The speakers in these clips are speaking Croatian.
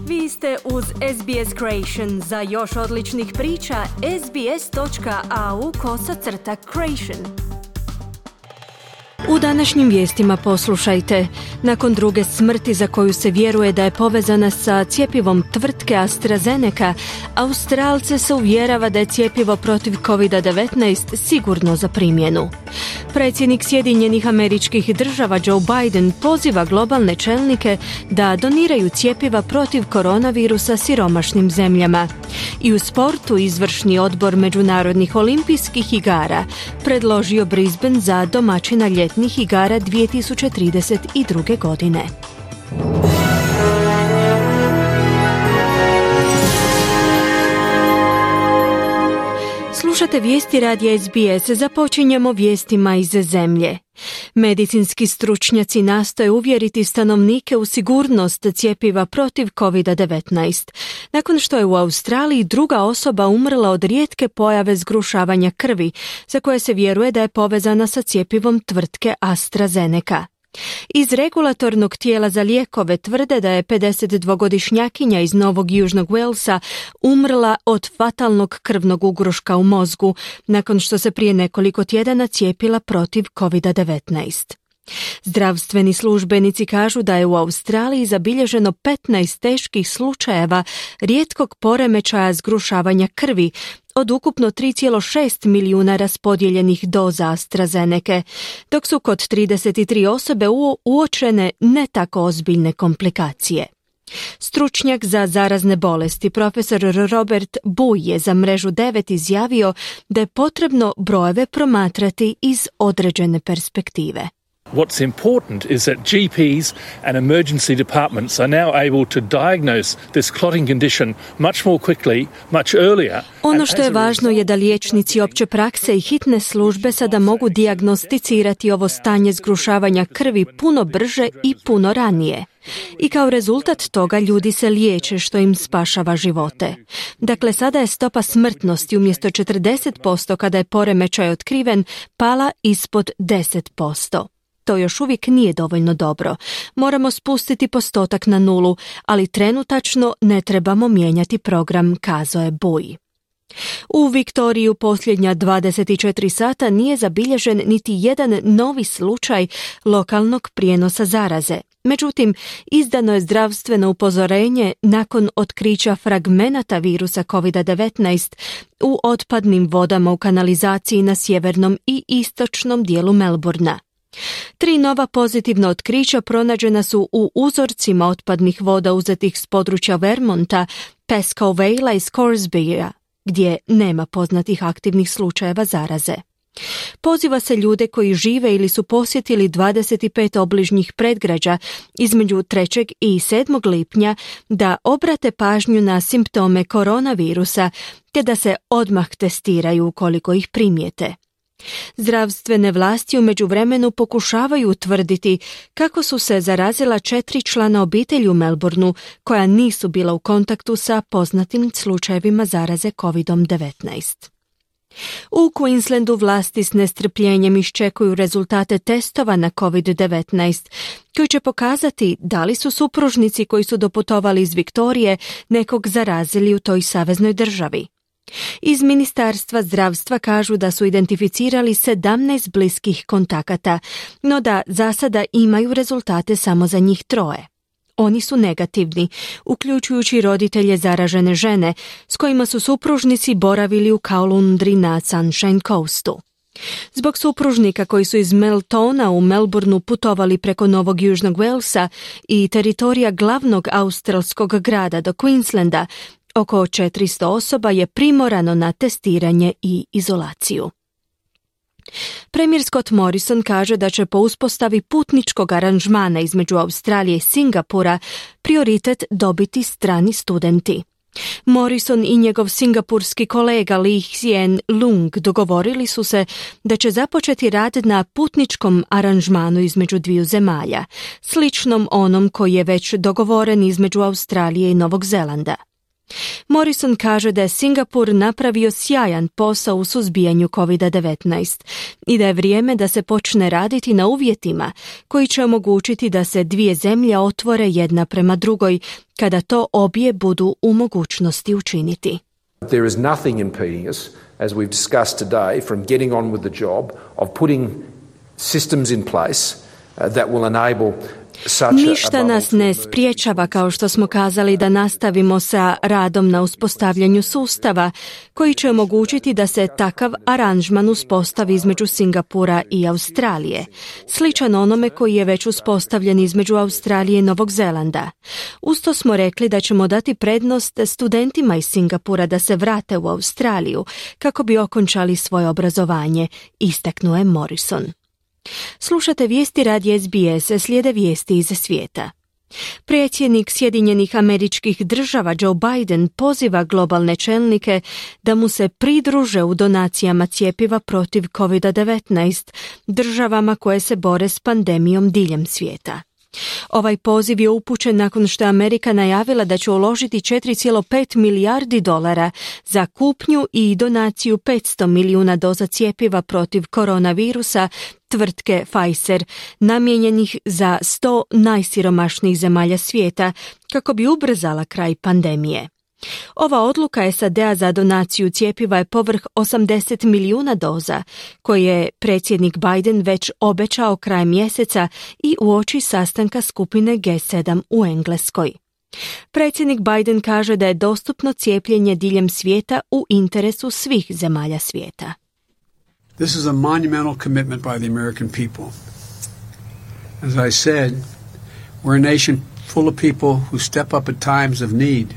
Vi ste uz SBS Creation. Za još odličnih priča, sbs.au/creation. U današnjim vijestima poslušajte. Nakon druge smrti za koju se vjeruje da je povezana sa cjepivom tvrtke AstraZeneca, Australce se uvjerava da je cjepivo protiv COVID-19 sigurno za primjenu. Predsjednik Sjedinjenih Američkih Država Joe Biden poziva globalne čelnike da doniraju cjepiva protiv koronavirusa siromašnim zemljama. I u sportu izvršni odbor Međunarodnih olimpijskih igara predložio Brisbane za domaćina ljetnih igara 2032. godine. Slušate vijesti radija SBS. Započinjemo vijestima iz zemlje. Medicinski stručnjaci nastoje uvjeriti stanovnike u sigurnost cjepiva protiv COVID-19. Nakon što je u Australiji druga osoba umrla od rijetke pojave zgrušavanja krvi, za koje se vjeruje da je povezana sa cjepivom tvrtke AstraZeneca. Iz regulatornog tijela za lijekove tvrde da je 52-godišnjakinja iz Novog Južnog Walesa umrla od fatalnog krvnog ugruška u mozgu nakon što se prije nekoliko tjedana cijepila protiv COVID-19. Zdravstveni službenici kažu da je u Australiji zabilježeno 15 teških slučajeva rijetkog poremećaja zgrušavanja krvi od ukupno 3,6 milijuna raspodijeljenih doza AstraZeneca, dok su kod 33 osobe uočene ne tako ozbiljne komplikacije. Stručnjak za zarazne bolesti, profesor Robert Buj, je za mrežu 9 izjavio da je potrebno brojeve promatrati iz određene perspektive. What's important is that GPs and emergency departments are now able to diagnose this clotting condition much more quickly, much earlier. Ono što je važno je da liječnici opće prakse i hitne službe sada mogu dijagnosticirati ovo stanje zgrušavanja krvi puno brže i puno ranije. I kao rezultat toga ljudi se liječe, što im spašava živote. Dakle, sada je stopa smrtnosti umjesto 40% kada je poremećaj otkriven pala ispod 10%. To još uvijek nije dovoljno dobro. Moramo spustiti postotak na nulu, ali trenutačno ne trebamo mijenjati program, kazao je Buj. U Viktoriji u posljednja 24 sata nije zabilježen niti jedan novi slučaj lokalnog prijenosa zaraze. Međutim, izdano je zdravstveno upozorenje nakon otkrića fragmenata virusa COVID-19 u otpadnim vodama u kanalizaciji na sjevernom i istočnom dijelu Melbourna. 3 nova pozitivna otkrića pronađena su u uzorcima otpadnih voda uzetih s područja Vermonta, Pascoe Valea i Scoresbya, gdje nema poznatih aktivnih slučajeva zaraze. Poziva se ljude koji žive ili su posjetili 25 obližnjih predgrađa između 3. i 7. lipnja da obrate pažnju na simptome koronavirusa te da se odmah testiraju ukoliko ih primijete. Zdravstvene vlasti u međuvremenu pokušavaju utvrditi kako su se zarazila 4 člana obitelji u Melbourneu koja nisu bila u kontaktu sa poznatim slučajevima zaraze COVID-19. U Queenslandu vlasti s nestrpljenjem iščekuju rezultate testova na COVID-19 koji će pokazati da li su supružnici koji su doputovali iz Viktorije nekog zarazili u toj saveznoj državi. Iz Ministarstva zdravstva kažu da su identificirali 17 bliskih kontakata, no da za sada imaju rezultate samo za njih 3. Oni su negativni, uključujući roditelje zaražene žene s kojima su supružnici boravili u Caloundry na Sunshine Coastu. Zbog supružnika koji su iz Meltona u Melbourneu putovali preko Novog Južnog Walesa i teritorija glavnog australskog grada do Queenslanda, oko 400 osoba je primorano na testiranje i izolaciju. Premijer Scott Morrison kaže da će po uspostavi putničkog aranžmana između Australije i Singapura prioritet dobiti strani studenti. Morrison i njegov singapurski kolega Lee Hsien Loong dogovorili su se da će započeti rad na putničkom aranžmanu između dviju zemalja, sličnom onom koji je već dogovoren između Australije i Novog Zelanda. Morrison kaže da je Singapur napravio sjajan posao u suzbijanju COVID-19 i da je vrijeme da se počne raditi na uvjetima koji će omogućiti da se dvije zemlje otvore jedna prema drugoj kada to obje budu u mogućnosti učiniti. There is nothing impeding us, as we've discussed today, from getting on with the job of putting systems in place that will enable. Ništa nas ne spriječava, kao što smo kazali, da nastavimo sa radom na uspostavljanju sustava koji će omogućiti da se takav aranžman uspostavi između Singapura i Australije, sličan onome koji je već uspostavljen između Australije i Novog Zelanda. Usto smo rekli da ćemo dati prednost studentima iz Singapura da se vrate u Australiju kako bi okončali svoje obrazovanje, istaknuo je Morrison. Slušate vijesti radija SBS, slijede vijesti iz svijeta. Predsjednik Sjedinjenih Američkih Država Joe Biden poziva globalne čelnike da mu se pridruže u donacijama cjepiva protiv COVID-19 državama koje se bore s pandemijom diljem svijeta. Ovaj poziv je upućen nakon što je Amerika najavila da će uložiti $4,5 milijardi za kupnju i donaciju 500 milijuna doza cjepiva protiv koronavirusa tvrtke Pfizer, namijenjenih za 100 najsiromašnijih zemalja svijeta kako bi ubrzala kraj pandemije. Ova odluka SAD-a za donaciju cjepiva je povrh 80 milijuna doza, koje je predsjednik Biden već obećao krajem mjeseca i uoči sastanka skupine G7 u Engleskoj. Predsjednik Biden kaže da je dostupno cijepljenje diljem svijeta u interesu svih zemalja svijeta. This is a monumental commitment by the American people. As I said, we're a nation full of people who step up at times of need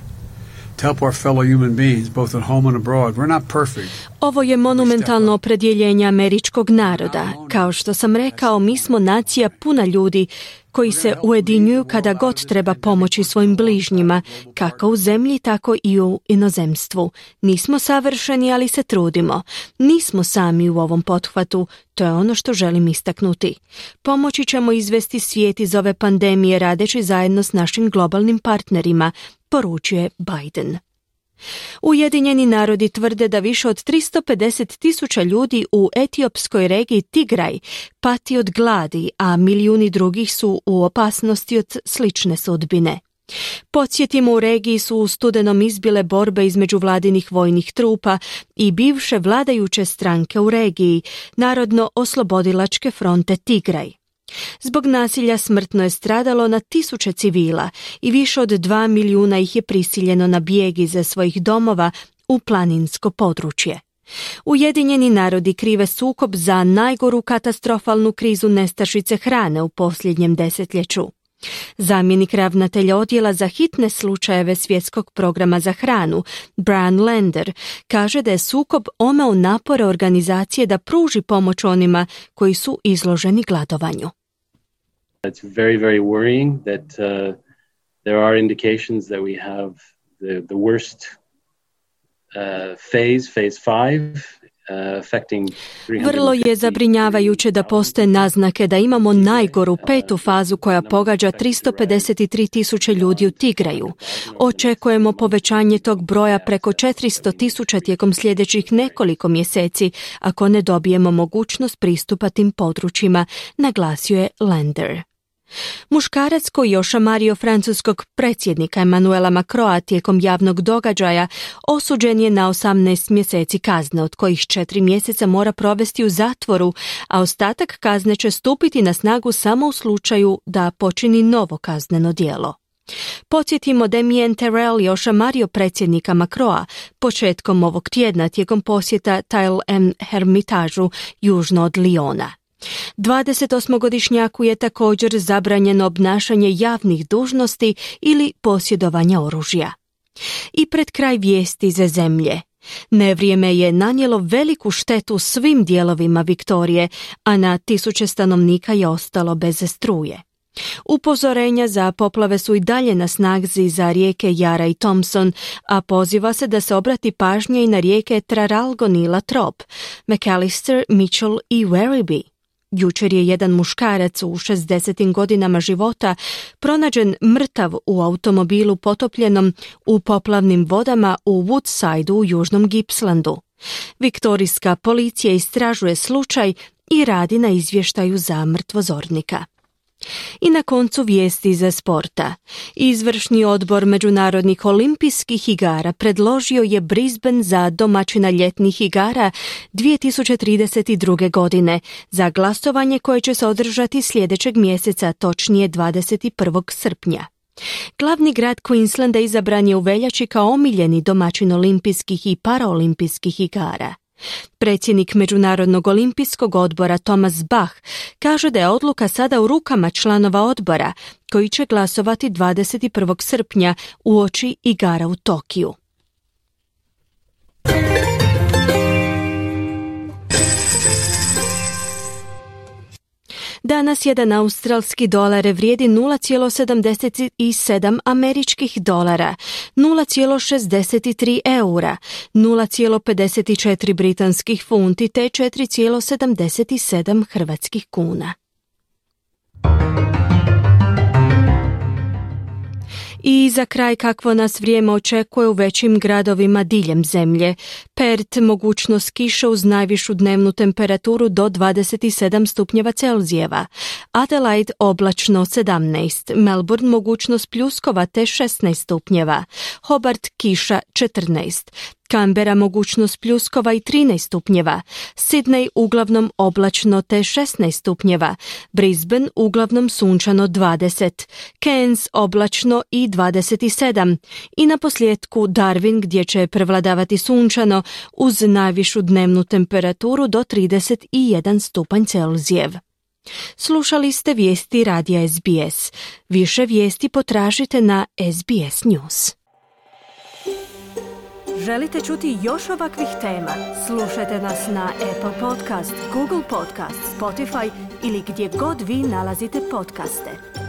to help our fellow human beings, both at home and abroad. We're not perfect. Ovo je monumentalno opredjeljenje američkog naroda. Kao što sam rekao, mi smo nacija puna ljudi koji se ujedinjuju kada god treba pomoći svojim bližnjima, kako u zemlji, tako i u inozemstvu. Nismo savršeni, ali se trudimo. Nismo sami u ovom pothvatu, to je ono što želim istaknuti. Pomoći ćemo izvesti svijet iz ove pandemije radeći zajedno s našim globalnim partnerima, poručuje Biden. Ujedinjeni narodi tvrde da više od 350.000 ljudi u etiopskoj regiji Tigraj pati od gladi, a milijuni drugih su u opasnosti od slične sudbine. Podsjetimo, u regiji su u studenom izbile borbe između vladinih vojnih trupa i bivše vladajuće stranke u regiji, Narodno-oslobodilačke fronte Tigraj. Zbog nasilja smrtno je stradalo na tisuće civila i više od 2 milijuna ih je prisiljeno na bijeg iz svojih domova u planinsko područje. Ujedinjeni narodi krive sukob za najgoru katastrofalnu krizu nestašice hrane u posljednjem desetljeću. Zamjenik ravnatelja odjela za hitne slučajeve Svjetskog programa za hranu, Brian Lander, kaže da je sukob omeo napore organizacije da pruži pomoć onima koji su izloženi gladovanju. It's very, very worrying that there are indications that we have the worst phase 5. Vrlo je zabrinjavajuće da postoje naznake da imamo najgoru 5. fazu koja pogađa 353.000 ljudi u Tigraju. Očekujemo povećanje tog broja preko 400.000 tijekom sljedećih nekoliko mjeseci ako ne dobijemo mogućnost pristupa tim područjima, naglasio je Lander. Muškarac koji je ošamario francuskog predsjednika Emmanuela Macrona tijekom javnog događaja osuđen je na 18 mjeseci kazne, od kojih 4 mjeseca mora provesti u zatvoru, a ostatak kazne će stupiti na snagu samo u slučaju da počini novo kazneno djelo. Podsjetimo, Damien Terrell je ošamario predsjednika Macrona početkom ovog tjedna tijekom posjeta Tile en Hermitažu južno od Lyona. 28-godišnjaku je također zabranjeno obnašanje javnih dužnosti ili posjedovanja oružja. I pred kraj vijesti za zemlje. Nevrijeme je nanijelo veliku štetu svim dijelovima Viktorije, a na tisuće stanovnika je ostalo bez struje. Upozorenja za poplave su i dalje na snazi za rijeke Jara i Thompson, a poziva se da se obrati pažnja i na rijeke Traralgon i Latrobe, McAllister, Mitchell i Werribee. Jučer je jedan muškarac u 60. godinama života pronađen mrtav u automobilu potopljenom u poplavnim vodama u Woodsideu u južnom Gippslandu. Viktorijska policija istražuje slučaj i radi na izvještaju za mrtvozornika. I na koncu vijesti za sporta. Izvršni odbor Međunarodnih olimpijskih igara predložio je Brisbane za domaćina ljetnih igara 2032. godine za glasovanje koje će se održati sljedećeg mjeseca, točnije 21. srpnja. Glavni grad Queenslanda izabran je u veljači kao omiljeni domaćin olimpijskih i paraolimpijskih igara. Predsjednik Međunarodnog olimpijskog odbora Thomas Bach kaže da je odluka sada u rukama članova odbora koji će glasovati 21. srpnja uoči igara u Tokiju. Danas jedan australski dolar vrijedi 0,77 američkih dolara, 0,63 eura, 0,54 britanskih funti te 4,77 hrvatskih kuna. I za kraj kakvo nas vrijeme očekuje u većim gradovima diljem zemlje. Perth mogućnost kiše uz najvišu dnevnu temperaturu do 27 stupnjeva Celzijeva. Adelaide oblačno 17, Melbourne mogućnost pljuskova te 16 stupnjeva. Hobart kiša 14. Canberra mogućnost pljuskova i 13 stupnjeva, Sydney uglavnom oblačno te 16 stupnjeva, Brisbane uglavnom sunčano 20, Cairns oblačno i 27 i na posljetku Darwin gdje će prevladavati sunčano uz najvišu dnevnu temperaturu do 31 stupanj Celzijev. Slušali ste vijesti radija SBS. Više vijesti potražite na SBS News. Želite čuti još ovakvih tema? Slušajte nas na Apple Podcast, Google Podcast, Spotify ili gdje god vi nalazite podcaste.